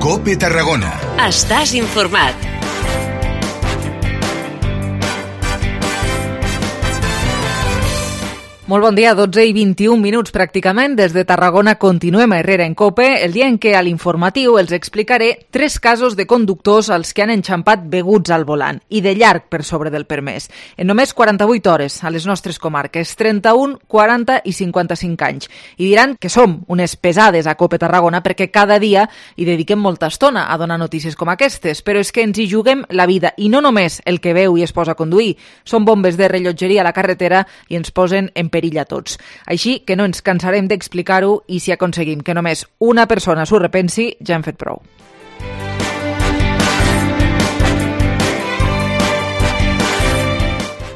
COPE Tarragona. Estàs informat. Molt bon dia, 12 i 21 minuts pràcticament. Des de Tarragona continuem a Herrera en COPE, el dia en què a l'informatiu els explicaré 3 casos de conductors als que han enxampat beguts al volant i de llarg per sobre del permès. En només 48 hores a les nostres comarques, 31, 40 i 55 anys. I diran que som unes pesades a COPE Tarragona perquè cada dia hi dediquem molta estona a donar notícies com aquestes, però és que ens hi juguem la vida i no només el que veu i es posa a conduir. Són bombes de rellotgeria a la carretera i ens posen en perill a tots. Així que no ens cansarem d'explicar-ho i si aconseguim que només una persona s'ho repensi, ja hem fet prou.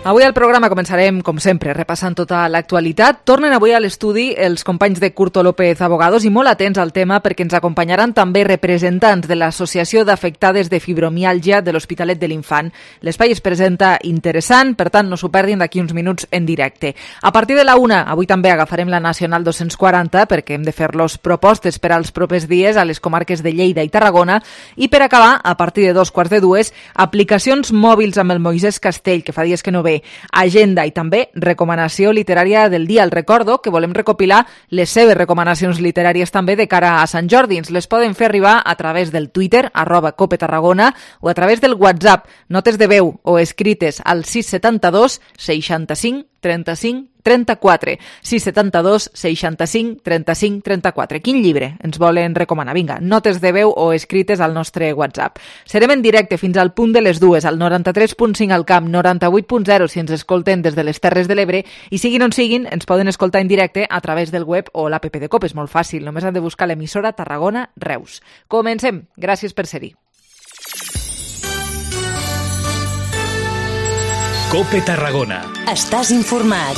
Avui al programa començarem, com sempre, repassant tota l'actualitat. Tornen avui a l'estudi els companys de Curto López Abogados i molt atents al tema perquè ens acompanyaran també representants de l'Associació d'Afectades de Fibromiàlgia de l'Hospitalet de l'Infant. L'espai es presenta interessant, per tant no s'ho perdin d'aquí uns minuts en directe. A partir de la 1, avui també agafarem la Nacional 240 perquè hem de fer-los propostes per als propers dies a les comarques de Lleida i Tarragona i per acabar, a partir de 2:15, aplicacions mòbils amb el Moisès Castell, que fa dies que no ve, agenda i també recomanació literària del dia. El recordo que volem recopilar les seves recomanacions literàries també de cara a Sant Jordi. Ens les poden fer arribar a través del Twitter, @COPETarragona, o a través del WhatsApp, notes de veu o escrites al 672 65 35 34, 672 65 35 34. Quin llibre ens volen recomanar? Vinga, notes de veu o escrites al nostre WhatsApp. Serem en directe fins al punt de les 2, al 93.5 al Camp, 98.0 si ens escolten des de les Terres de l'Ebre, i siguin on siguin, ens poden escoltar en directe a través del web o l'app de COPE. És molt fàcil, només han de buscar l'emissora Tarragona Reus. Comencem. Gràcies per ser-hi. COPE Tarragona. Estàs informat.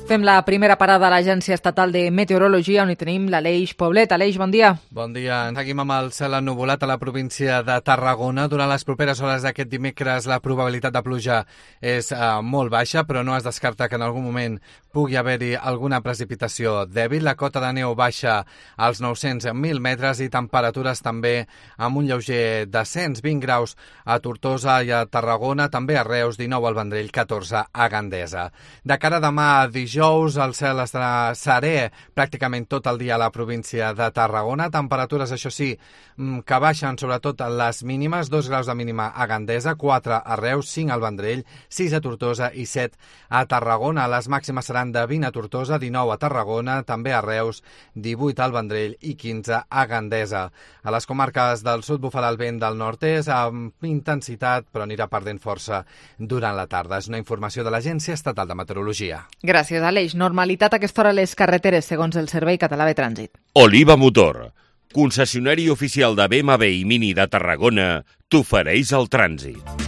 Fem la primera parada a l'Agència Estatal de Meteorologia, on hi tenim l'Aleix Poblet. Aleix, bon dia. Bon dia. Seguim amb el cel ennuvolat a la província de Tarragona. Durant les properes hores d'aquest dimecres la probabilitat de pluja és molt baixa, però no es descarta que en algun moment pugui haver-hi alguna precipitació dèbil. La cota de neu baixa als 900.000 metres i temperatures també amb un lleuger descens, 20 graus a Tortosa i a Tarragona, també a Reus, 19 al Vendrell, 14 a Gandesa. De cara a demà dijous, el cel estarà serè pràcticament tot el dia a la província de Tarragona. Temperatures, això sí, que baixen sobretot les mínimes, 2 graus de mínima a Gandesa, 4 a Reus, 5 al Vendrell, 6 a Tortosa i 7 a Tarragona. Les màximes seran de 20 a Tortosa, 19 a Tarragona, també a Reus, 18 al Vendrell i 15 a Gandesa. A les comarques del sud bufarà el vent del nord-est amb intensitat, però anirà perdent força durant la tarda. És una informació de l'Agència Estatal de Meteorologia. Gràcies, Aleix. Normalitat a aquesta hora a les carreteres, segons el Servei Català de Trànsit. Oliva Motor, concessionari oficial de BMW i Mini de Tarragona, t'ofereix el trànsit.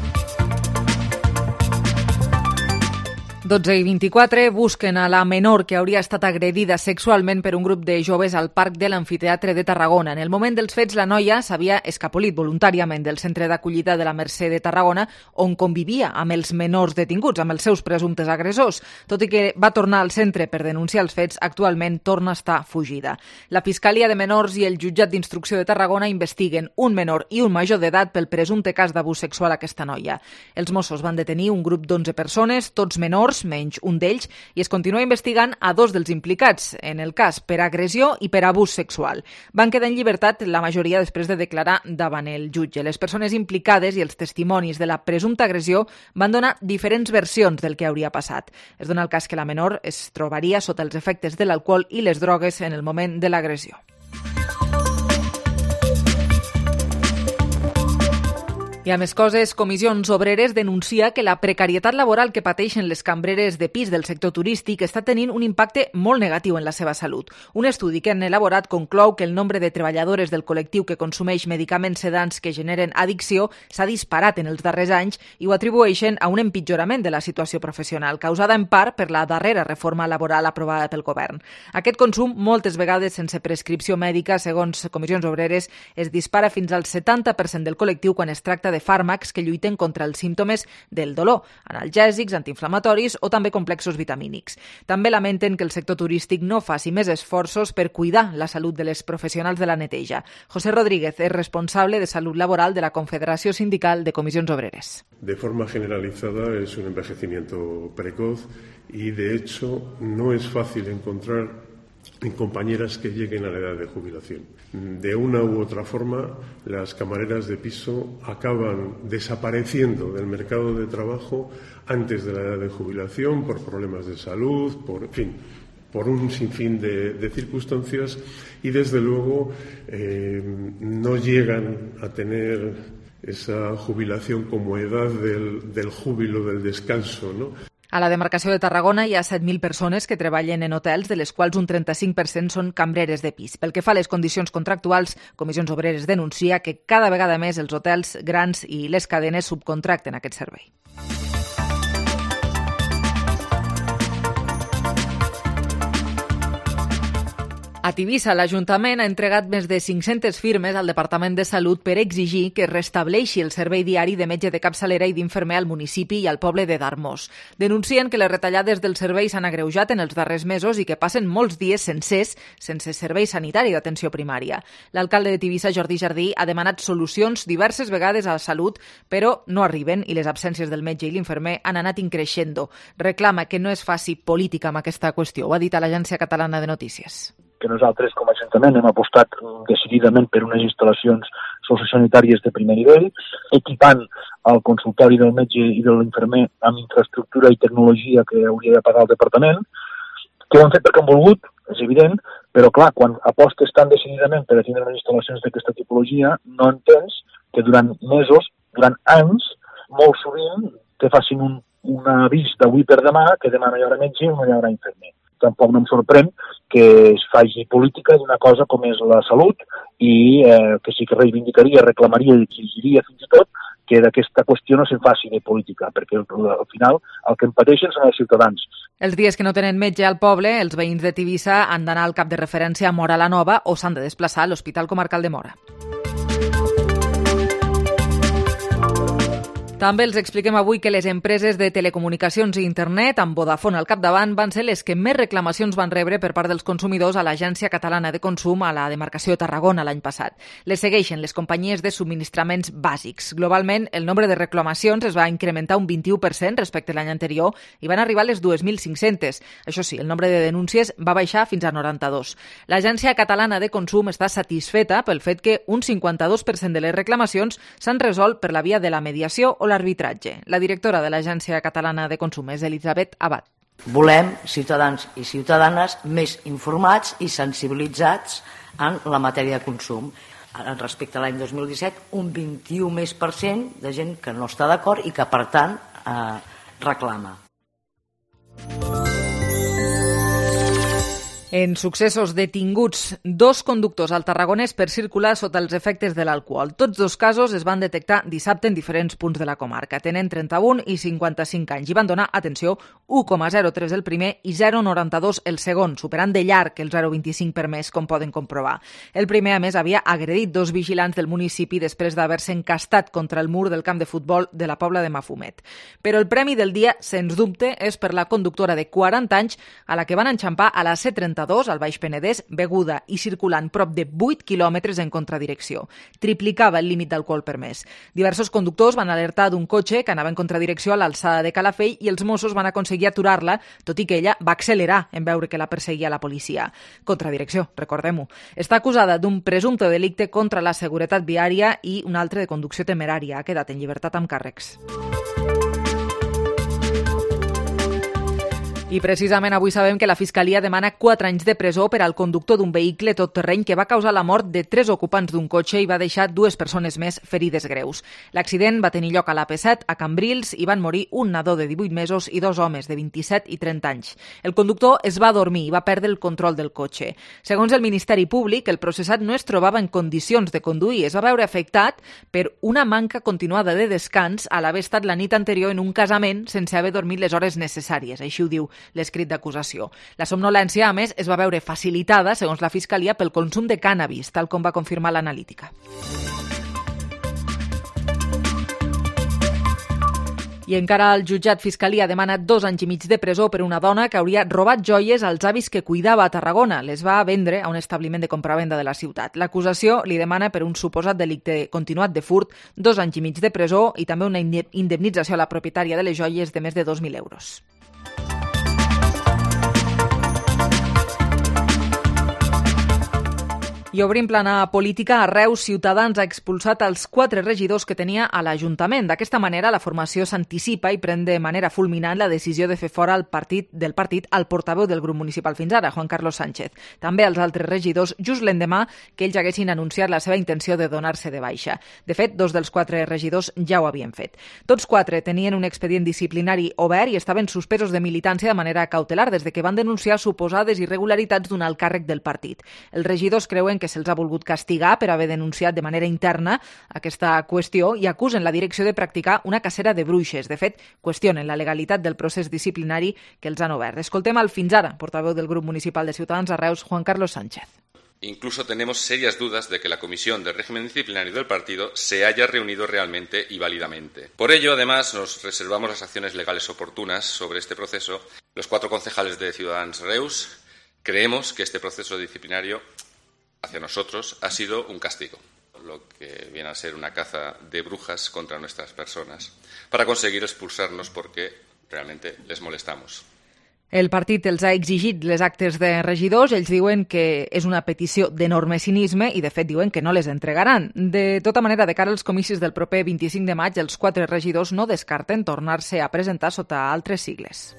12 i 24 busquen a la menor que hauria estat agredida sexualment per un grup de joves al Parc de l'Amfiteatre de Tarragona. En el moment dels fets, la noia s'havia escapolit voluntàriament del centre d'acollida de la Mercè de Tarragona, on convivia amb els menors detinguts, amb els seus presumptes agressors. Tot i que va tornar al centre per denunciar els fets, actualment torna a estar fugida. La Fiscalia de Menors i el Jutjat d'Instrucció de Tarragona investiguen un menor i un major d'edat pel presumpte cas d'abús sexual a aquesta noia. Els Mossos van detenir un grup d'11 persones, tots menors, menys un d'ells, i es continua investigant a 2 dels implicats en el cas per agressió i per abús sexual. Van quedar en llibertat la majoria després de declarar davant el jutge. Les persones implicades i els testimonis de la presumpta agressió van donar diferents versions del que hauria passat. Es dona el cas que la menor es trobaria sota els efectes de l'alcohol i les drogues en el moment de l'agressió. I a més coses, Comissions Obreres denuncia que la precarietat laboral que pateixen les cambreres de pis del sector turístic està tenint un impacte molt negatiu en la seva salut. Un estudi que han elaborat conclou que el nombre de treballadores del col·lectiu que consumeix medicaments sedants que generen addicció s'ha disparat en els darrers anys i ho atribueixen a un empitjorament de la situació professional, causada en part per la darrera reforma laboral aprovada pel govern. Aquest consum, moltes vegades sense prescripció mèdica, segons Comissions Obreres, es dispara fins al 70% del col·lectiu quan es tracta venda de fàrmacs que lluiten contra els símptomes del dolor, analgèsics, antiinflamatoris o també complexos vitamínics. També lamenten que el sector turístic no faci més esforços per cuidar la salut de les professionals de la neteja. José Rodríguez és responsable de Salut Laboral de la Confederació Sindical de Comissions Obreres. De forma generalizada es un envejecimiento precoz y de hecho no es fácil encontrar en compañeras que lleguen a la edad de jubilación. De una u otra forma, las camareras de piso acaban desapareciendo del mercado de trabajo antes de la edad de jubilación por problemas de salud, por un sinfín de circunstancias y desde luego no llegan a tener esa jubilación como edad del júbilo, del descanso, ¿no? A la demarcació de Tarragona hi ha 7.000 persones que treballen en hotels, de les quals un 35% són cambreres de pis. Pel que fa a les condicions contractuals, Comissions Obreres denuncia que cada vegada més els hotels grans i les cadenes subcontracten aquest servei. A Tivissa, l'Ajuntament ha entregat més de 500 firmes al Departament de Salut per exigir que es restableixi el servei diari de metge de capçalera i d'infermer al municipi i al poble de Darmós. Denuncien que les retallades del servei s'han agreujat en els darrers mesos i que passen molts dies sencers sense servei sanitari d'atenció primària. L'alcalde de Tivissa, Jordi Jardí, ha demanat solucions diverses vegades a la Salut, però no arriben i les absències del metge i l'infermer han anat increixendo. Reclama que no es faci política amb aquesta qüestió. Ho ha dit a l'Agència Catalana de Notícies. Que nosaltres com a Ajuntament hem apostat decididament per unes instal·lacions sociosanitàries de primer nivell, equipant el consultori del metge i de l'infermer amb infraestructura i tecnologia que hauria de pagar el departament, que ho han fet perquè han volgut, és evident, però clar, quan apostes tan decididament per a tindre unes instal·lacions d'aquesta tipologia, no entens que durant mesos, durant anys, molt sovint te facin un avís d'avui per demà que demà no hi haurà metge i no hi haurà infermer. Tampoc no em sorprèn que es faci política d'una cosa com és la salut i que sí que reivindicaria, reclamaria i exigiria fins i tot que d'aquesta qüestió no se'n faci de política, perquè al final el que en pateixen són els ciutadans. Els dies que no tenen metge al poble, els veïns de Tivissa han d'anar al cap de referència a Móra la Nova o s'han de desplaçar a l'Hospital Comarcal de Móra. També els expliquem avui que les empreses de telecomunicacions i internet, amb Vodafone al capdavant, van ser les que més reclamacions van rebre per part dels consumidors a l'Agència Catalana de Consum a la demarcació de Tarragona l'any passat. Les segueixen les companyies de subministraments bàsics. Globalment, el nombre de reclamacions es va incrementar un 21% respecte a l'any anterior i van arribar a les 2.500. Això sí, el nombre de denúncies va baixar fins a 92. L'Agència Catalana de Consum està satisfeta pel fet que un 52% de les reclamacions s'han resolt per la via de la mediació o l'arbitratge. La directora de l'Agència Catalana de Consum és Elisabet Abad. Volem ciutadans i ciutadanes més informats i sensibilitzats en la matèria de consum. Respecte a l'any 2017, un 21% de gent que no està d'acord i que, per tant, reclama. En successos detinguts 2 conductors al Tarragonès per circular sota els efectes de l'alcohol. Tots 2 casos es van detectar dissabte en diferents punts de la comarca. Tenen 31 i 55 anys i van donar, atenció, 1,03 el primer i 0,92 el segon, superant de llarg el 0,25 per mes, com poden comprovar. El primer, a més, havia agredit 2 vigilants del municipi després d'haver-se encastat contra el mur del camp de futbol de la Pobla de Mafumet. Però el premi del dia, sens dubte, és per la conductora de 40 anys a la que van enxampar a la C32 al Baix Penedès, beguda i circulant prop de 8 quilòmetres en contradirecció. Triplicava el límit d'alcohol permès. Diversos conductors van alertar d'un cotxe que anava en contradirecció a l'alçada de Calafell i els Mossos van aconseguir aturar-la, tot i que ella va accelerar en veure que la perseguia la policia. Contradirecció, recordem-ho. Està acusada d'un presumpte delicte contra la seguretat viària i un altre de conducció temerària. Ha quedat en llibertat amb càrrecs. I precisament avui sabem que la Fiscalia demana 4 anys de presó per al conductor d'un vehicle tot-terreny que va causar la mort de 3 ocupants d'un cotxe i va deixar 2 persones més ferides greus. L'accident va tenir lloc a l'AP7, a Cambrils, i van morir un nadó de 18 mesos i 2 homes de 27 i 30 anys. El conductor es va dormir i va perdre el control del cotxe. Segons el Ministeri Públic, el processat no es trobava en condicions de conduir. Es va veure afectat per una manca continuada de descans a l'haver estat la nit anterior en un casament sense haver dormit les hores necessàries. Així ho diu l'escrit d'acusació. La somnolència, a més, es va veure facilitada, segons la Fiscalia, pel consum de cànnabis, tal com va confirmar l'analítica. I encara el jutjat Fiscalia demana 2 anys i mig de presó per una dona que hauria robat joies als avis que cuidava a Tarragona. Les va vendre a un establiment de compravenda de la ciutat. L'acusació li demana per un suposat delicte continuat de furt 2 anys i mig de presó i també una indemnització a la propietària de les joies de més de 2.000 euros. I obrim plana política. A Reus, Ciutadans ha expulsat els 4 regidors que tenia a l'Ajuntament. D'aquesta manera, la formació s'anticipa i pren de manera fulminant la decisió de fer fora del partit al portaveu del grup municipal fins ara, Juan Carlos Sánchez. També els altres regidors, just l'endemà que ells haguessin anunciat la seva intenció de donar-se de baixa. De fet, 2 dels 4 regidors ja ho havien fet. Tots 4 tenien un expedient disciplinari obert i estaven suspesos de militància de manera cautelar des de que van denunciar suposades irregularitats d'un alt càrrec del partit. Els regidors creuen que se'ls ha volgut castigar per haver denunciat de manera interna aquesta qüestió i acusen la direcció de practicar una cacera de bruixes. De fet, qüestionen la legalitat del procés disciplinari que els han obert. Escoltem al fins ara portaveu del grup municipal de Ciutadans a Reus, Juan Carlos Sánchez. Incluso tenemos serias dudas de que la Comisión de Régimen Disciplinario del partido se haya reunido realmente y válidamente. Por ello, además, nos reservamos las acciones legales oportunas sobre este proceso. Los 4 concejales de Ciudadanos Reus creemos que este proceso disciplinario hacia nosotros ha sido un castigo, lo que viene a ser una caza de brujas contra nuestras personas, para conseguir expulsarnos porque realmente les molestamos. El partit els ha exigit les actes de regidors. Ells diuen que és una petició d'enorme cinisme i, de fet, diuen que no les entregaran. De tota manera, de cara als comicis del proper 25 de maig, els 4 regidors no descarten tornar-se a presentar sota altres sigles.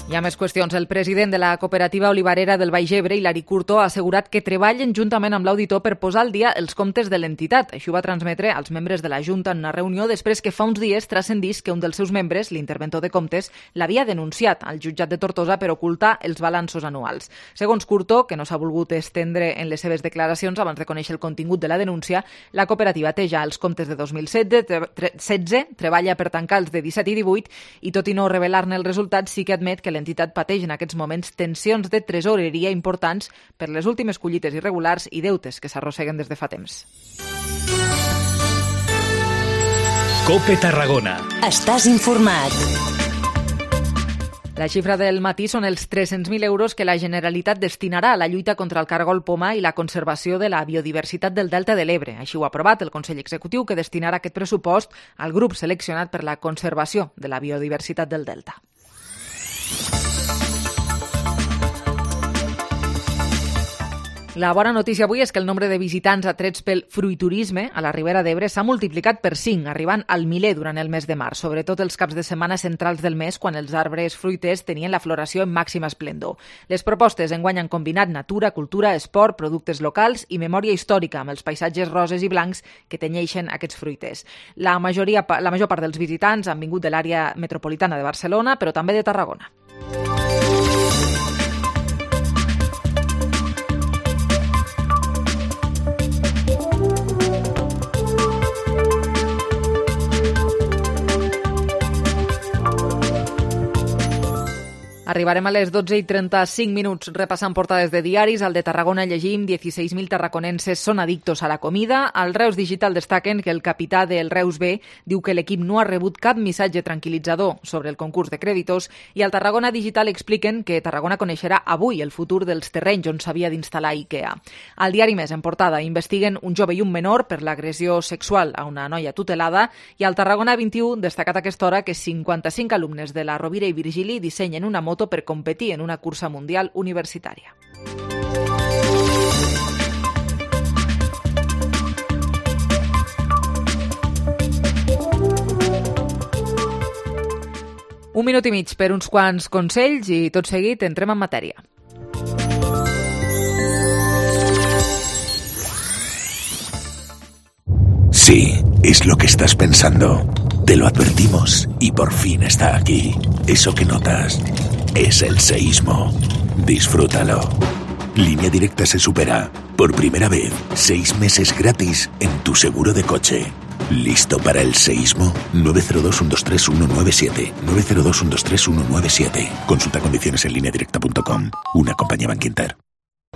Hi ha més qüestions. El president de la cooperativa olivarera del Baix Ebre, Hilari Curto, ha assegurat que treballen juntament amb l'auditor per posar al dia els comptes de l'entitat. Això ho va transmetre als membres de la Junta en una reunió després que fa uns dies transcendís que un dels seus membres, l'interventor de comptes, l'havia denunciat al jutjat de Tortosa per ocultar els balanços anuals. Segons Curto, que no s'ha volgut estendre en les seves declaracions abans de conèixer el contingut de la denúncia, la cooperativa té ja els comptes de 2016, treballa per tancar els de 17 i 18 i, tot i no revelar-ne els resultats, sí que admet que l'entitat pateix en aquests moments tensions de tresoreria importants per les últimes collites irregulars i deutes que s'arrosseguen des de fa temps. COPE Tarragona. Estàs informat. La xifra del matí són els 300.000 euros que la Generalitat destinarà a la lluita contra el cargol poma i la conservació de la biodiversitat del Delta de l'Ebre. Així ho ha aprovat el Consell Executiu, que destinarà aquest pressupost al grup seleccionat per la conservació de la biodiversitat del Delta. La bona notícia avui és que el nombre de visitants atrets pel fruiturisme a la Ribera d'Ebre s'ha multiplicat per 5, arribant al miler durant el mes de març, sobretot els caps de setmana centrals del mes, quan els arbres fruiters tenien la floració en màxima esplendor. Les propostes enguany han combinat natura, cultura, esport, productes locals i memòria històrica amb els paisatges roses i blancs que tenyeixen aquests fruiters. La major part dels visitants han vingut de l'àrea metropolitana de Barcelona, però també de Tarragona. Arribarem a les 12:35 repassant portades de diaris. Al de Tarragona llegim 16.000 tarraconenses són addictos a la comida. Al Reus Digital destaquen que el capità del Reus B diu que l'equip no ha rebut cap missatge tranquil·litzador sobre el concurs de crèditors, i al Tarragona Digital expliquen que Tarragona coneixerà avui el futur dels terrenys on s'havia d'instal·lar IKEA. Al diari Més, en portada, investiguen un jove i un menor per l'agressió sexual a una noia tutelada, i al Tarragona 21 destacat a aquesta hora que 55 alumnes de la Rovira i Virgili dissenyen una moto per competir en una cursa mundial universitària. Un minut i mig per uns quants consells i tot seguit entrem en matèria. Sí, es lo que estás pensando. Te lo advertimos y por fin está aquí. Eso que notas es el seísmo. Disfrútalo. Línea Directa se supera. Por primera vez, 6 meses gratis en tu seguro de coche. ¿Listo para el seísmo? 902-123-197. 902-123-197. Consulta condiciones en lineadirecta.com. Una compañía Bankinter.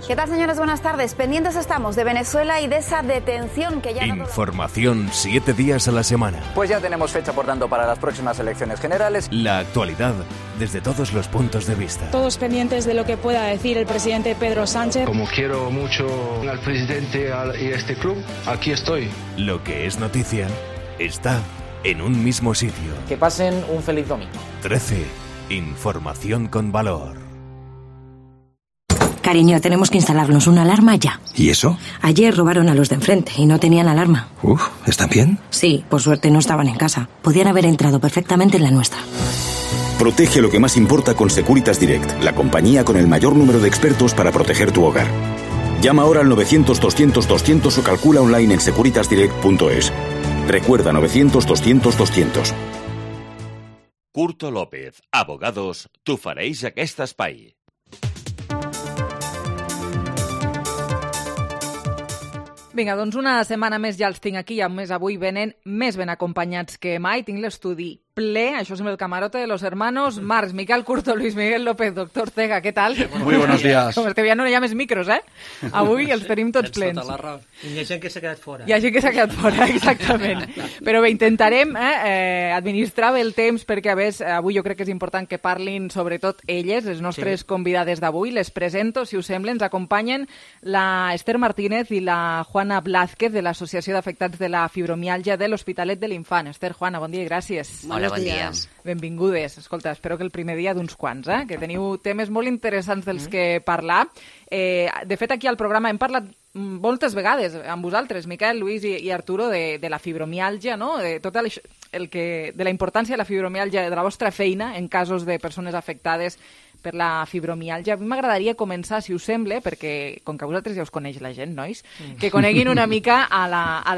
¿Qué tal, señores? Buenas tardes. Pendientes estamos de Venezuela y de esa detención que ya... Información 7 días a la semana. Pues ya tenemos fecha, por tanto, para las próximas elecciones generales. La actualidad desde todos los puntos de vista. Todos pendientes de lo que pueda decir el presidente Pedro Sánchez. Como quiero mucho al presidente y a este club, aquí estoy. Lo que es noticia está en un mismo sitio. Que pasen un feliz domingo. 13. Información con valor. Cariño, tenemos que instalarnos una alarma ya. ¿Y eso? Ayer robaron a los de enfrente y no tenían alarma. ¿Están bien? Sí, por suerte no estaban en casa. Podían haber entrado perfectamente en la nuestra. Protege lo que más importa con Securitas Direct, la compañía con el mayor número de expertos para proteger tu hogar. Llama ahora al 900-200-200 o calcula online en securitasdirect.es. Recuerda, 900-200-200. Curto López, abogados, t'ofereix aquest espai. Vinga, doncs una setmana més ja els tinc aquí i a més avui venen més ben acompanyats que mai. Tinc l'estudi ple, això és el camarote de los hermanos Marx, Miquel Curto, Luis Miguel López, doctor Ortega, què tal? Muy buenos días. Com és que ja no hi ha més micros, eh? Avui els tenim tots plens. I hi ha gent que s'ha quedat fora. Hi ha gent que s'ha quedat fora, exactament. Però bé, intentarem administrar bé el temps perquè, a més, avui jo crec que és important que parlin sobretot elles, les nostres convidades d'avui. Les presento, si us sembla, ens acompanyen la Esther Martínez i la Juana Blázquez de l'Associació d'Afectats de la Fibromiàlgia de l'Hospitalet de l'Infant. Esther, Juana, bon dia i gràcies. Hola, bon dia. Benvingudes. Escolta, espero que el primer dia d'uns quants, que teniu temes molt interessants dels que parlar. De fet, aquí al programa hem parlat moltes vegades amb vosaltres, Miquel, Luis i Arturo, de la fibromiàlgia, no? De tot de la importància de la fibromiàlgia, de la vostra feina en casos de persones afectades per la fibromiàlgia. A mi m'agradaria començar, si us sembla, perquè com que vosaltres ja us coneix la gent, nois, que coneguin una mica a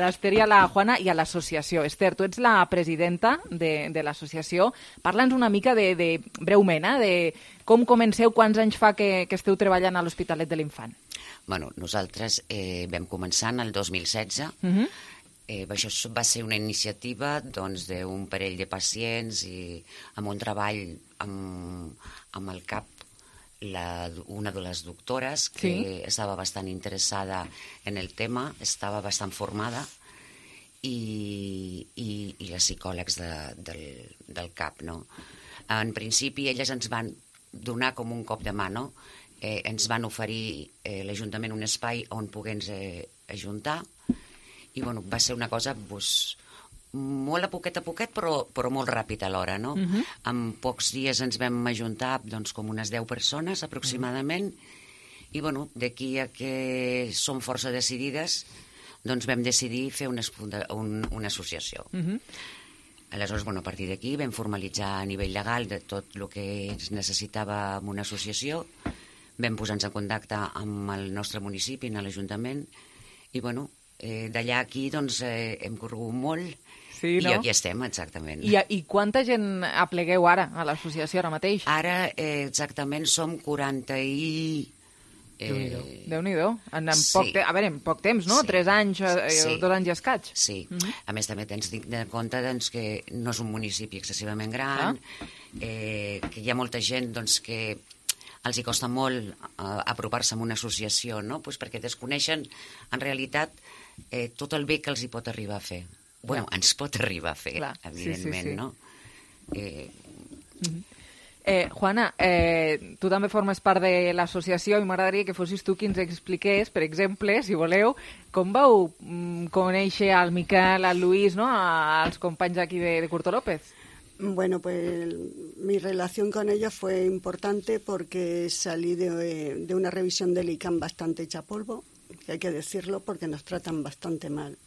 l'Esther i a la Juana i a l'associació. Esther, tu ets la presidenta de l'associació. Parla'ns una mica breument, de com comenceu, quants anys fa que esteu treballant a l'Hospitalet de l'Infant. Bueno, nosaltres vam començar en el 2016. Això va ser una iniciativa d'un parell de pacients i amb un treball amb el CAP, una de les doctores que estava bastant interessada en el tema, estava bastant formada, i les psicòlegs del CAP. No? En principi, elles ens van donar com un cop de mà, no? Ens van oferir l'Ajuntament un espai on poder-nos ajuntar, i bueno, va ser una cosa molt a poquet, però molt ràpid alhora, no? En pocs dies ens vam ajuntar com unes 10 persones aproximadament, i bueno, d'aquí a que som força decidides, doncs vam decidir fer una associació. Aleshores, a partir d'aquí vam formalitzar a nivell legal de tot el que es necessitava en una associació, vam posar-nos en contacte amb el nostre municipi, amb l'Ajuntament, i bueno, d'allà aquí hem corregut molt, i aquí estem, exactament. I quanta gent aplegueu ara a l'associació ara mateix? Ara exactament som 40 i... Déu-n'hi-do. En poc temps, no? 3 anys, 2 anys i escaig. Sí. A més, també tens de compte que no és un municipi excessivament gran, que hi ha molta gent que els hi costa molt apropar-se a una associació, no? Perquè desconeixen, en realitat, tot el bé que els hi pot arribar a fer. Bueno, ens pot arribar a fer, evidentment, no? Juana, tu també formes part de l'associació i m'agradaria que fossis tu qui ens expliqués, per exemple, si voleu, com vau conèixer al Miquel, al Luis, ¿no? als companys aquí de Curto López. Bueno, pues mi relación con ellos fue importante porque salí de una revisión del ICAM bastante hecha polvo, que hay que decirlo, porque nos tratan bastante mal,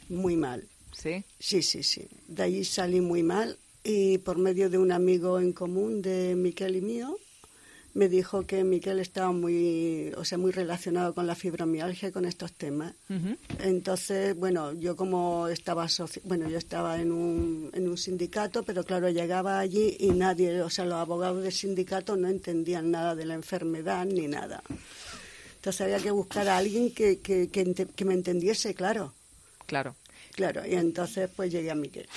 muy mal. ¿Sí? Sí. De allí salí muy mal y por medio de un amigo en común de Miquel y mío, me dijo que Miquel estaba muy relacionado con la fibromialgia y con estos temas. Entonces, bueno, yo como estaba yo estaba en un sindicato, pero claro, llegaba allí y nadie, los abogados del sindicato no entendían nada de la enfermedad ni nada. Entonces había que buscar a alguien que me entendiese, claro. Claro, y entonces pues llegué a Miquel.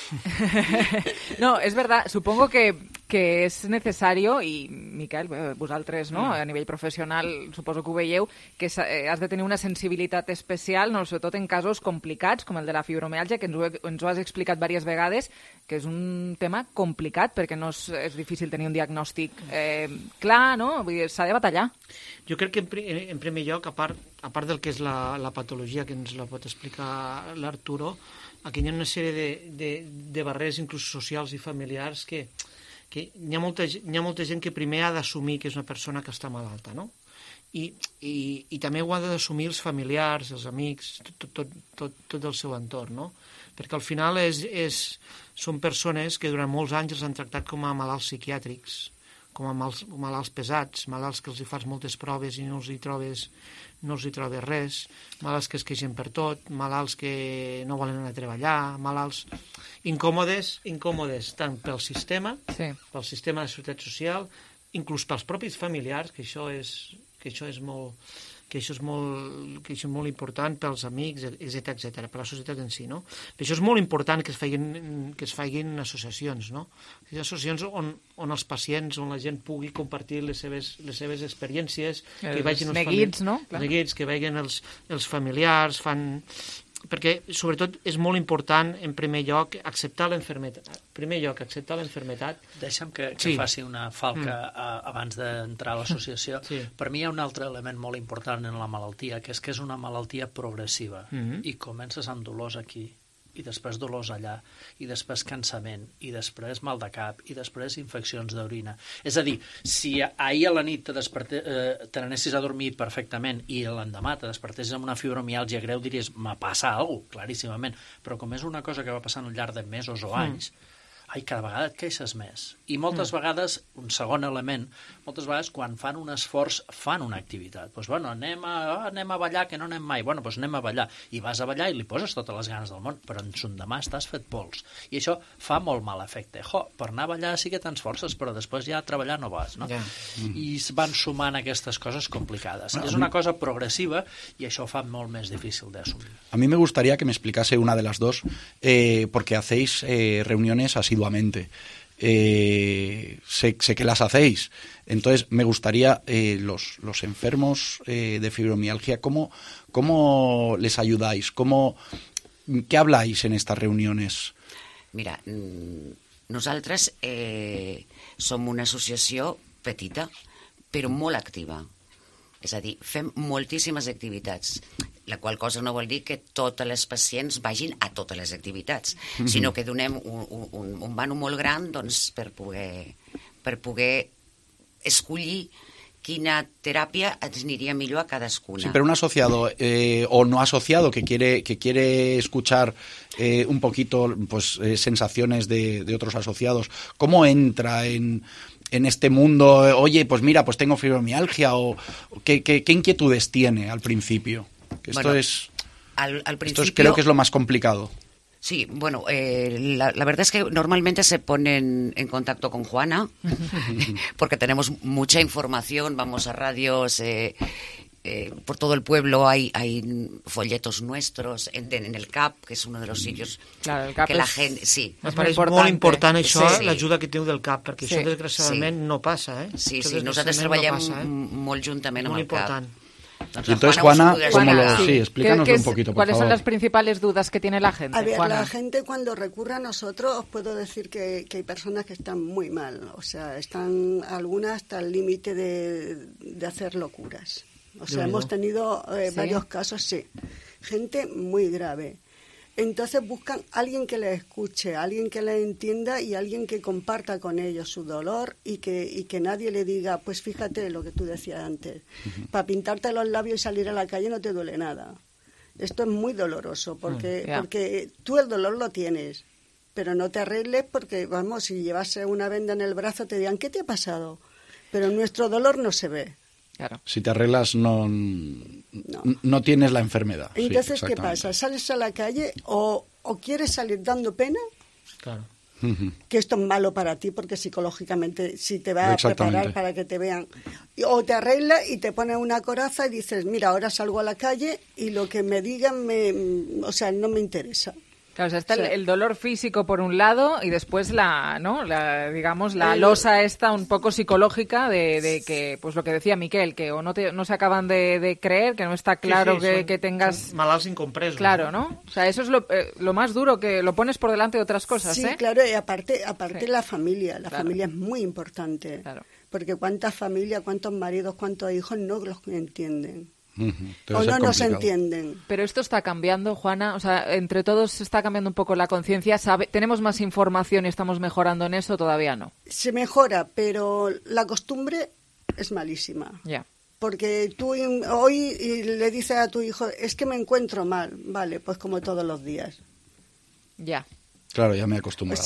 No, es verdad, supongo que que és necessari, i Miquel, vosaltres, no? A nivell professional, suposo que ho veieu, que has de tenir una sensibilitat especial, no? Sobretot en casos complicats, com el de la fibromiàlgia, que ens ho has explicat diverses vegades, que és un tema complicat, perquè no és difícil tenir un diagnòstic clar, no? Vull dir, s'ha de batallar. Jo crec que, en primer lloc, a part del que és la patologia, que ens la pot explicar l'Arturo, aquí hi ha una sèrie de barreres, inclús socials i familiars, que hi ha molta gent que primer ha d'assumir que és una persona que està malalta, no? I també ho ha d'assumir els familiars, els amics, tot el seu entorn, no? Perquè al final són persones que durant molts anys els han tractat com a malalts psiquiàtrics, com a malalts pesats, malalts que els hi fas moltes proves i no els hi trobes res, malalts que es queixen per tot, malalts que no volen anar a treballar, malalts incòmodes tant pel sistema de seguretat social, inclús pels propis familiars, que això és molt important pels amics, etc., per la societat en si, no? Per això és molt important que es facin associacions, no? Associacions on els pacients, on la gent pugui compartir les seves experiències, que vagin els neguits, no? Neguits, que vagin els familiars, perquè sobretot és molt important en primer lloc acceptar l'enfermetat. Deixa'm que faci una falca abans d'entrar a l'associació. Per mi hi ha un altre element molt important en la malaltia, que és una malaltia progressiva, i comences amb dolors aquí, i després dolors allà, i després cansament, i després mal de cap, i després infeccions d'orina. És a dir, si ahir a la nit te n'anessis a dormir perfectament i l'endemà te despertessis amb una fibromiàlgia greu, diries, me passa alguna cosa, claríssimament. Però com és una cosa que va passant al llarg de mesos o anys, cada vegada et queixes més. I moltes vegades, un segon element, moltes vegades quan fan un esforç fan una activitat. Doncs anem a ballar, que no anem mai. Doncs anem a ballar. I vas a ballar i li poses totes les ganes del món, però en son demà estàs fet pols. I això fa molt mal efecte. Per anar a ballar sí que tens forces, però després ja a treballar no vas, no? I van sumant aquestes coses complicades. Es una cosa progresiva y això fa molt més difícil de asumir. A mí me gustaría que me explicase una de las dos, porque hacéis reuniones asiduamente. Sé que las hacéis. Entonces, me gustaría, los enfermos de fibromialgia, ¿cómo les ayudáis? ¿Qué habláis en estas reuniones? Mira, nosaltres som una associació petita, però molt activa. És a dir, fem moltíssimes activitats, la qual cosa no vol dir que totes les pacients vagin a totes les activitats, sinó que donem un vano molt gran per poder escollir quina teràpia ens aniria millor a cadascuna. Sí, pero un asociado o no asociado que quiere escuchar un poquito sensaciones de otros asociados, ¿cómo entra en este mundo? Oye, pues mira, pues tengo fibromialgia, o ¿qué inquietudes tiene al principio? Esto creo que es lo más complicado. Sí, bueno, la verdad es que normalmente se ponen en contacto con Juana, porque tenemos mucha información, vamos a radios, por todo el pueblo hay folletos nuestros en el CAP, que es uno de los sitios que la gente... Sí. Me pareix molt important això, l'ajuda que teniu del CAP, perquè això desgraciadament no passa. Sí, nosaltres treballem molt juntament amb el CAP. Y entonces, Juana, sí, explícanos un poquito, por ¿Cuáles favor. son las principales dudas que tiene la gente? A ver, Juana. la gente cuando recurre a nosotros, os puedo decir que hay personas que están muy mal, o sea, están algunas hasta el límite de hacer locuras. O sea, hemos tenido varios casos, sí, gente muy grave. Entonces buscan a alguien que les escuche, a alguien que les entienda y a alguien que comparta con ellos su dolor y que nadie le diga, pues fíjate lo que tú decías antes, para pintarte los labios y salir a la calle no te duele nada. Esto es muy doloroso porque tú el dolor lo tienes, pero no te arregles porque, vamos, si llevase una venda en el brazo te dirán, ¿qué te ha pasado? Pero nuestro dolor no se ve. Claro. Si te arreglas no tienes la enfermedad. Entonces, sí, ¿qué pasa? ¿Sales a la calle o quieres salir dando pena? Claro. Que esto es malo para ti porque psicológicamente si te va a preparar para que te vean. O te arreglas y te pones una coraza y dices, mira, ahora salgo a la calle y lo que me digan no me interesa. Claro, o sea, está el dolor físico por un lado y después la losa esta un poco psicológica de que, pues lo que decía Miquel, que o no se acaban de creer, que no está claro que tengas... Son malalts incompresos. Claro, ¿no? O sea, eso es lo más duro, que lo pones por delante de otras cosas, Sí, claro, y aparte la familia. La familia es muy importante. Claro. Porque cuántas familias, cuántos maridos, cuántos hijos no los entienden. Debe O ser no nos complicado. entienden. Pero esto está cambiando, Juana, o sea, entre todos se está cambiando un poco la conciencia, tenemos más información y estamos mejorando en eso, todavía no. Se mejora, pero la costumbre es malísima. Ya. Porque tú hoy le dices a tu hijo, es que me encuentro mal, vale, pues como todos los días. Ya. Claro, ya me he acostumbrado.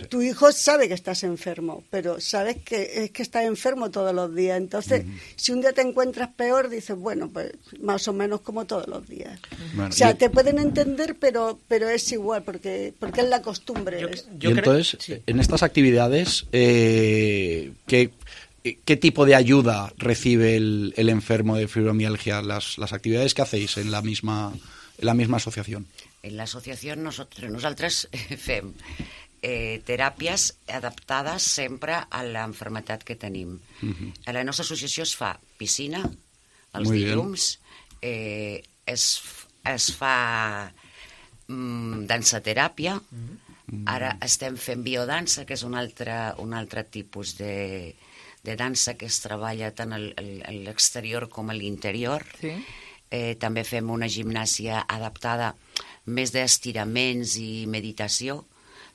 Tu hijo sabe que estás enfermo, pero sabes que es que estás enfermo todos los días. Entonces, si un día te encuentras peor, dices, bueno, pues más o menos como todos los días. Bueno, te pueden entender, pero es igual, porque es la costumbre. Entonces, en estas actividades, ¿qué tipo de ayuda recibe el enfermo de fibromialgia? Las actividades que hacéis en la misma asociación. En l'associació nosaltres fem teràpies adaptades sempre a l'enfermetat que tenim. A la nostra associació es fa piscina, els dilluns, es fa dansateràpia, ara estem fent biodansa, que és un altre tipus de dansa que es treballa tant a l'exterior com a l'interior. També fem una gimnàsia adaptada més d'estiraments i meditació.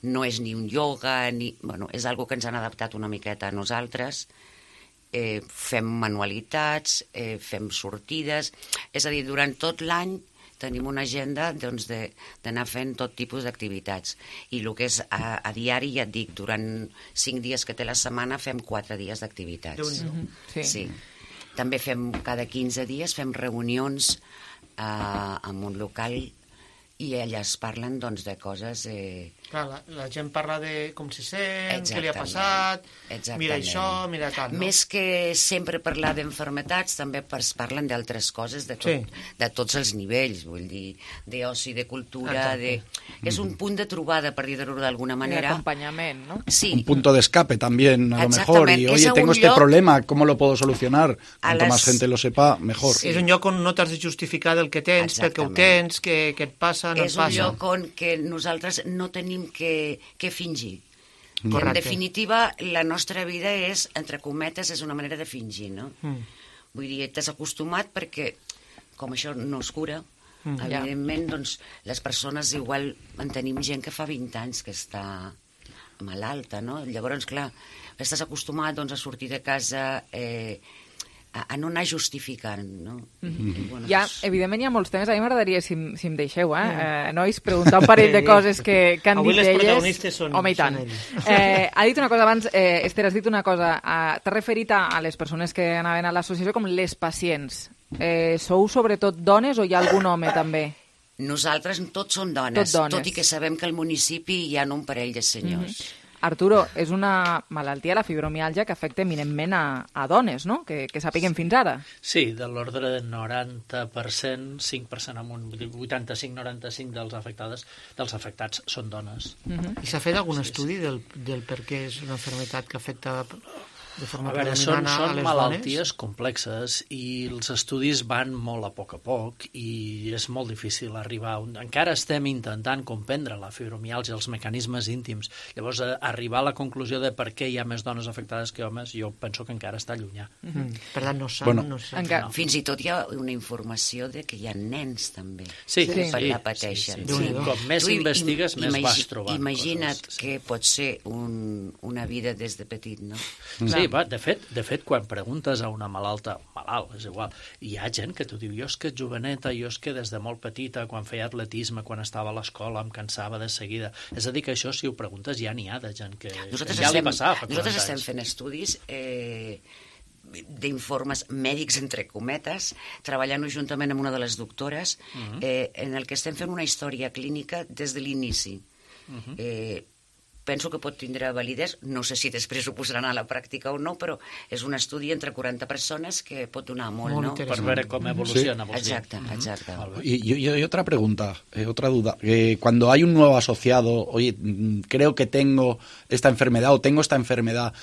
No és ni un ioga, és algo que ens han adaptat una miqueta a nosaltres. Fem manualitats, fem sortides. És a dir, durant tot l'any tenim una agenda d'anar fent tot tipus d'activitats. I el que és a diari, ja et dic, durant 5 dies que té la setmana fem 4 dies d'activitats. Sí. També fem cada 15 dies fem reunions en un local i allà es parlen de coses... Clar, la gent parla de com se sent, què li ha passat, mira això, mira tal, no? Més que sempre parlar d'enfermetats, també es parlen d'altres coses de tots els nivells, vull dir, d'oci, de cultura, és un punt de trobada, per dir-ho d'alguna manera. D'acompanyament, ¿no? Sí. Un punto de escape también, a lo mejor, y oye, tengo este problema, ¿cómo lo puedo solucionar? Cuanto más gente lo sepa, mejor. És un lloc on no t'has de justificar del que tens, perquè ho tens, què et passa, no et passa. És un lloc on nosaltres no tenim que fingir. En definitiva, la nostra vida és, entre cometes, és una manera de fingir, no? Vull dir, t'has acostumat perquè, com això no es cura, evidentment, doncs, les persones igual en tenim gent que fa 20 anys que està malalta, no? Llavors, clar, estàs acostumat a sortir de casa a no anar justificant, no? Evidentment hi ha molts temes. A mi m'agradaria, si em deixeu, nois, preguntar un parell de coses que han dit elles. Avui les protagonistes són home, i tant. Ha dit una cosa abans, Esther, has dit una cosa. T'has referit a les persones que anaven a l'associació com les pacients. Sou sobretot dones o hi ha algun home també? Nosaltres tots som dones, tot i que sabem que al municipi hi ha un parell de senyors. Arturo, és una malaltia, la fibromiàlgia, que afecta eminentment a dones, no? Que sapiguem fins ara. Sí, de l'ordre de 90%, 5% amunt, 85-95% dels afectats són dones. I s'ha fet algun estudi del per què és una malaltia que afecta de forma predominant a les dones? Són malalties complexes i els estudis van molt a poc i és molt difícil arribar. Encara estem intentant comprendre la fibromiàlgia, els mecanismes íntims. Llavors, arribar a la conclusió de per què hi ha més dones afectades que homes, jo penso que encara està llunyà. Per tant, no sap. Fins i tot hi ha una informació de que hi ha nens també que la pateixen. Com més investigues, més vas trobant. Imagina't que pot ser una vida des de petit, no? Sí, de fet, quan preguntes a una malalt, és igual, hi ha gent que t'ho diu, jo és que joveneta, jo és que des de molt petita, quan feia atletisme, quan estava a l'escola, em cansava de seguida. És a dir, que això, si ho preguntes, ja n'hi ha de gent que ja li passava fa 40 anys. Nosaltres estem fent estudis d'informes mèdics, entre cometes, treballant juntament amb una de les doctores, en el que estem fent una història clínica des de l'inici. penso que pot tindre validesa, no sé si després ho posaran a la pràctica o no, però és un estudi entre 40 persones que pot donar molt, ¿no? Per veure com evoluciona. Sí. Exacte. Y otra pregunta, otra duda. Cuando hay un nuevo asociado, oye, creo que tengo esta enfermedad o tengo esta enfermedad,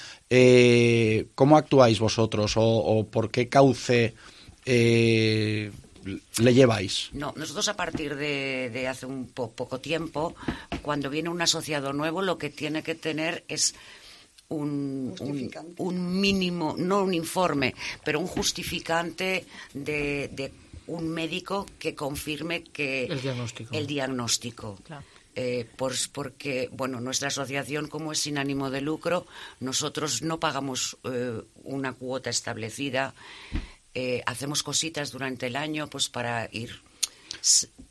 ¿cómo actuáis vosotros o por qué cauce le lleváis? No, nosotros a partir de hace un poco tiempo, cuando viene un asociado nuevo, lo que tiene que tener es un mínimo, no un informe, pero un justificante de un médico que confirme que el diagnóstico. Claro. Porque, bueno, nuestra asociación, como es sin ánimo de lucro, nosotros no pagamos una cuota establecida. Hacemos cositas durante el año pues para ir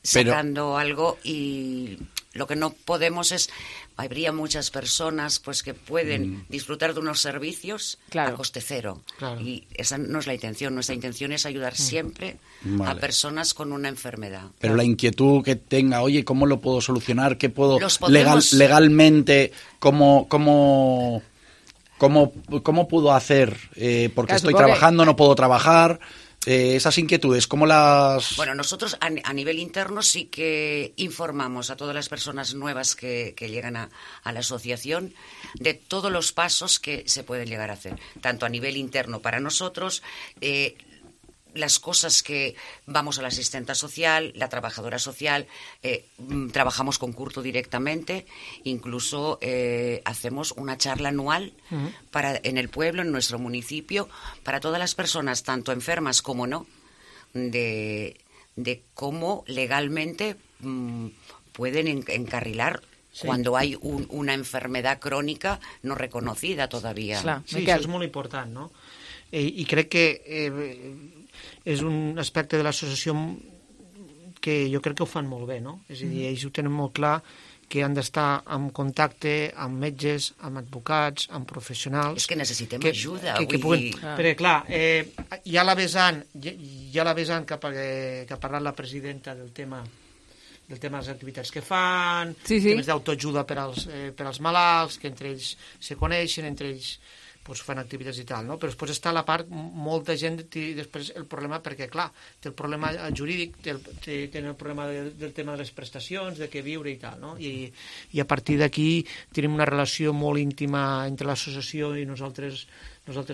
sacando algo, y lo que no podemos es, habría muchas personas pues que pueden disfrutar de unos servicios a coste cero, y esa no es la intención. Nuestra intención es ayudar siempre a personas con una enfermedad. Pero la inquietud que tenga, oye, ¿cómo lo puedo solucionar? ¿Qué puedo legalmente? ¿Cómo puedo hacer? Porque estoy trabajando, no puedo trabajar. Esas inquietudes, ¿cómo las...? Bueno, nosotros a nivel interno sí que informamos a todas las personas nuevas que llegan a la asociación de todos los pasos que se pueden llegar a hacer, tanto a nivel interno para nosotros, las cosas que vamos a la asistenta social, la trabajadora social, trabajamos con Curto directamente, incluso hacemos una charla anual en el pueblo, en nuestro municipio, para todas las personas, tanto enfermas como no, de cómo legalmente pueden encarrilar cuando hay una enfermedad crónica no reconocida todavía. Sí, això és molt important, no? I crec que és un aspecte de l'associació que jo crec que ho fan molt bé, no? És a dir, ells ho tenen molt clar, que han d'estar en contacte amb metges, amb advocats, amb professionals... És que necessitem ajuda, vull dir... Perquè, clar, ja la vessant que ha parlat la presidenta del tema de les activitats que fan, temes d'autoajuda per als malalts, que entre ells se coneixen, entre ells fan activitats i tal, no? Però després està la part, molta gent té després el problema, perquè clar, té el problema jurídic, té el problema del tema de les prestacions, de què viure i tal, no? I a partir d'aquí tenim una relació molt íntima entre l'associació i nosaltres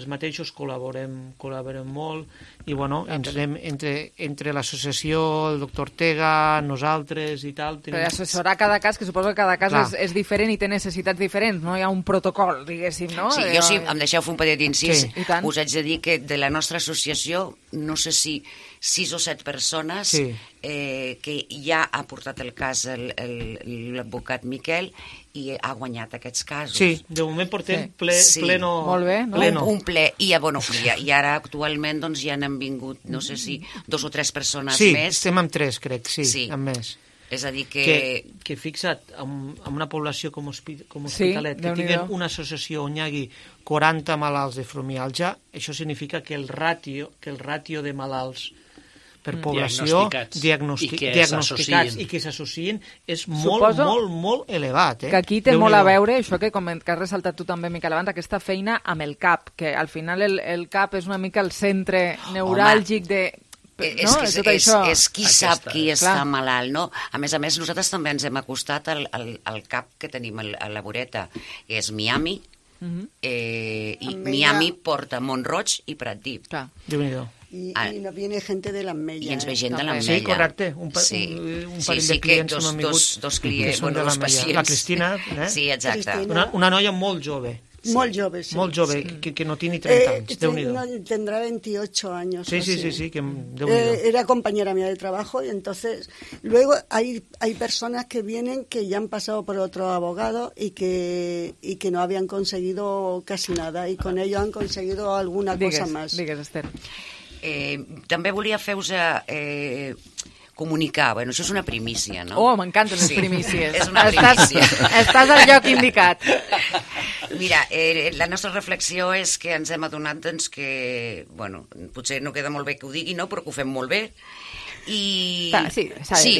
mateixos, col·laborem molt, i bueno, ens anem entre l'associació, el doctor Ortega, nosaltres i tal. Per assessorar cada cas, que suposo que cada cas és diferent i té necessitats diferents, no hi ha un protocol, diguéssim, no? Sí, jo sí, em deixeu fer un petit incís, us haig de dir que de la nostra associació, no sé si 6 o 7 persones que ja ha portat el cas l'advocat Miquel i ha guanyat aquests casos. Sí, de moment portem pleno. Molt bé, no? Un ple, i ara actualment doncs ja n'han vingut, no sé si 2 o 3 persones més. Sí, estem amb 3, crec, amb més. És a dir que fixa't, amb una població com Hospitalet, que tinguen una associació on hi hagi 40 malalts de fibromiàlgia, això significa que el ràtio de malalts per població diagnosticats i que s'associïn és molt elevat. Que aquí té molt a veure, això que has ressaltat tu també, Miquel, abans, aquesta feina amb el CAP, que al final el CAP és una mica el centre neuràlgic de... És qui sap qui està malalt, no? A més, nosaltres també ens hem acostat al CAP que tenim a la voreta, que és Miami, i Miami porta Mont-roig i Pratdip. Déu-n'hi-do. Y nos viene gente de l'Ametlla. I ens ve gent de l'Ametlla. Sí, correcte. Un parell de clients que m'han vingut. Dos clients, dos pacients. La Cristina. Sí, exacte. Una noia molt jove. Molt jove, sí. Molt jove, que no tiene 30 anys, Déu-n'hi-do. Tendrá 28 años. Sí, que Déu-n'hi-do. Era compañera mía de trabajo y entonces luego hay personas que vienen que ya han pasado por otro abogado y que no habían conseguido casi nada y con ello han conseguido alguna cosa más. Digues, Esther. També volia fer-vos comunicar, bueno, això és una primícia, no? Oh, m'encanten les primícies. És una primícia. Estàs al lloc indicat. Mira, la nostra reflexió és que ens hem adonat doncs, que, bueno, potser no queda molt bé que ho digui, no?, però que ho fem molt bé, I... Sí,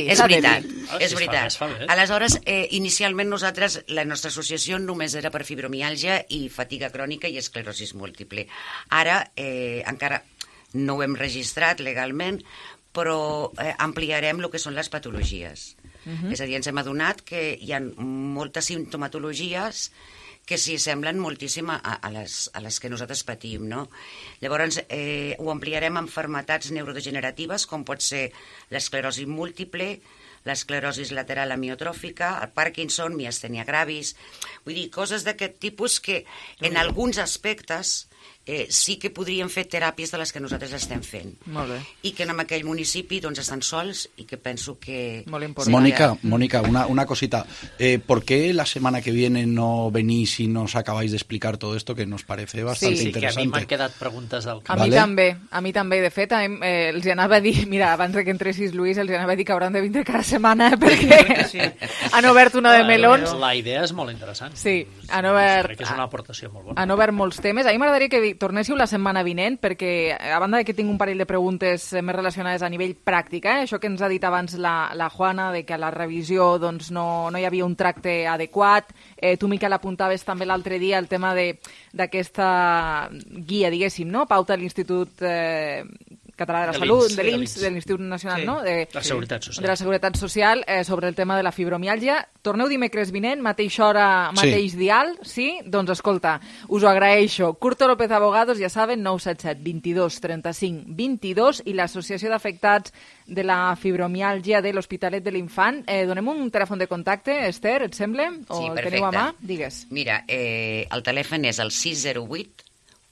és veritat. És veritat. Aleshores, inicialment nosaltres, la nostra associació només era per fibromiàlgia i fatiga crònica i esclerosi múltiple. Ara encara no ho hem registrat legalment, però ampliarem el que són les patologies. És a dir, ens hem adonat que hi ha moltes simptomatologies que s'hi semblen moltíssim a les que nosaltres patim, no? Llavors, ho ampliarem amb malalties neurodegeneratives, com pot ser l'esclerosi múltiple, l'esclerosi lateral amiotròfica, el Parkinson, miastènia gravis... Vull dir, coses d'aquest tipus que en alguns aspectes sí que podríem fer teràpies de les que nosaltres estem fent. Molt bé. I que en aquell municipi doncs, estan sols i que penso que... Molt important. Mónica, una cosita. ¿Por qué la semana que viene no venís y nos acabáis de explicar todo esto que nos parece bastante interesante? Sí, que a mi m'han quedat preguntes del camp. A mi també. De fet, els anava a dir, mira, abans que entressis, Lluís, els anava a dir que hauran de vindre cada setmana perquè han obert una de melons. La idea és molt interessant. Sí, han obert... Crec que és una aportació molt bona. Han obert molts temes. A mi m'agradaria que tornéssiu la setmana vinent, perquè a banda que tinc un parell de preguntes més relacionades a nivell pràctic, això que ens ha dit abans la Juana, de que a la revisió doncs, no hi havia un tracte adequat. Tu, Miquel, apuntaves també l'altre dia el tema d'aquesta guia, diguéssim, no? Pauta de l'Institut Català de la Salut, de l'INS, de l'Institut Nacional, no? De la Seguretat Social. De la Seguretat Social, sobre el tema de la fibromiàlgia. Torneu dimecres vinent, mateixa hora, mateix dial, sí? Doncs escolta, us ho agraeixo. Curto López Abogados, ja saben, 977 22 35 22 i l'Associació d'Afectats de la Fibromiàlgia de l'Hospitalet de l'Infant. Donem un telèfon de contacte, Esther, et sembla? O sí, el perfecte. teniu a mà? Digues. Mira, el telèfon és el 608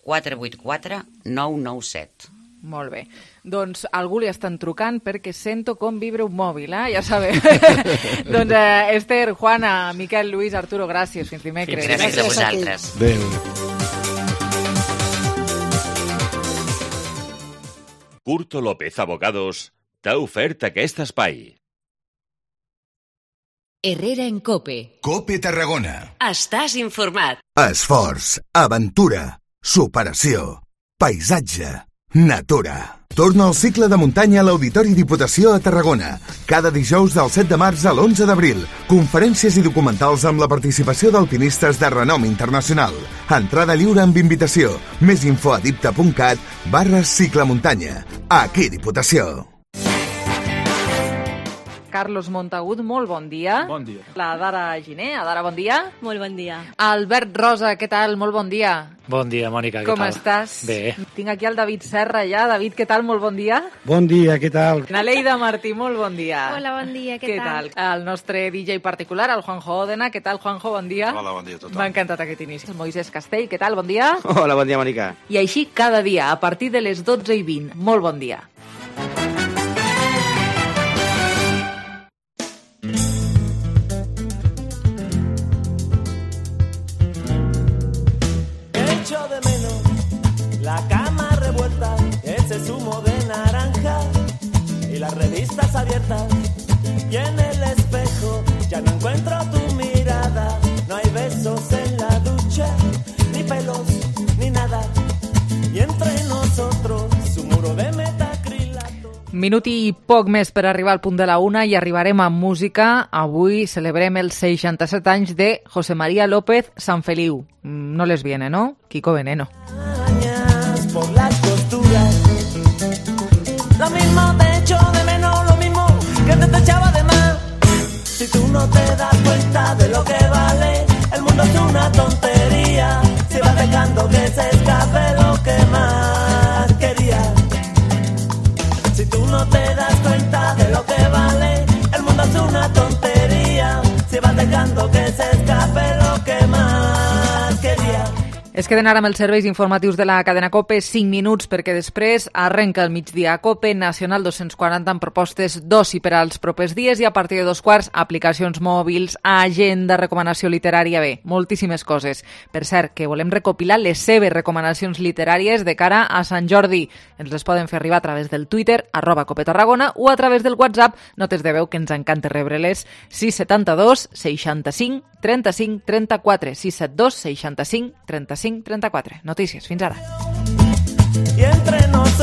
484 997. Molt bé. Doncs algú li estan trucant perquè sento com vibra un mòbil, ja sabeu. Doncs Esther, Juana, Miquel, Lluís, Arturo, gràcies. Fins dimecres. Gràcies a vosaltres. Adéu. Curto López Abogados t'ha ofert aquest espai. Herrera en COPE. COPE Tarragona. Estàs informat. Esforç, aventura, superació, paisatge, natura. Torna al cicle de muntanya a l'Auditori Diputació a Tarragona. Cada dijous del 7 de març a l'11 d'abril. Conferències i documentals amb la participació d'alpinistes de renom internacional. Entrada lliure amb invitació. Més info a dipta.cat/ciclemuntanya. Aquí Diputació. Carlos Montagut, molt bon dia. Bon dia. La Dara Giner, Adara, bon dia. Molt bon dia. Albert Rosa, què tal? Molt bon dia. Bon dia, Mònica, què tal? Com estàs? Bé. Tinc aquí el David Serra ja. David, què tal? Molt bon dia. Bon dia, què tal? Naleida Martí, molt bon dia. Hola, bon dia, què tal? El nostre DJ particular, el Juanjo Òdena. Què tal, Juanjo? Bon dia. Hola, bon dia a tothom. M'ha encantat aquest inici. El Moisés Castell, què tal? Bon dia. Hola, bon dia, Mònica. I així cada dia, a partir de les 12:20. Molt bon dia. De menos la cama revuelta, ese zumo de naranja y las revistas abiertas, y en el espejo ya no encuentro tu mirada, no hay besos en la ducha, ni pelos, ni nada, y entre nosotros un muro de metacrilato. Minut i poc més per arribar al punt de la 1 i arribarem amb música. Avui celebrem els 67 anys de José María López Sanfeliu. No les viene, ¿no? Kiko Veneno. Por las costuras, lo mismo te echo de menos, lo mismo que te echaba de más. Si tú no te das cuenta de lo que vale, el mundo es una tontería. Si vas dejando que se escape lo que más querías. Si tú no te das cuenta de lo que vale, el mundo es una tontería. Si vas dejando que se escape lo que más querías. Es queden ara amb els serveis informatius de la cadena COPE 5 minuts perquè després arrenca el migdia a COPE Nacional 240 amb propostes d'oci per als propers dies i a partir de 2:15 aplicacions mòbils, agenda, recomanació literària, bé, moltíssimes coses. Per cert, que volem recopilar les seves recomanacions literàries de cara a Sant Jordi. Ens les poden fer arribar a través del Twitter, @COPETarragona, o a través del WhatsApp, notes de veu que ens encanta rebre-les, 672 65 35 34, 672 65 35 34. Notícies, fins ara. Y entre nosotros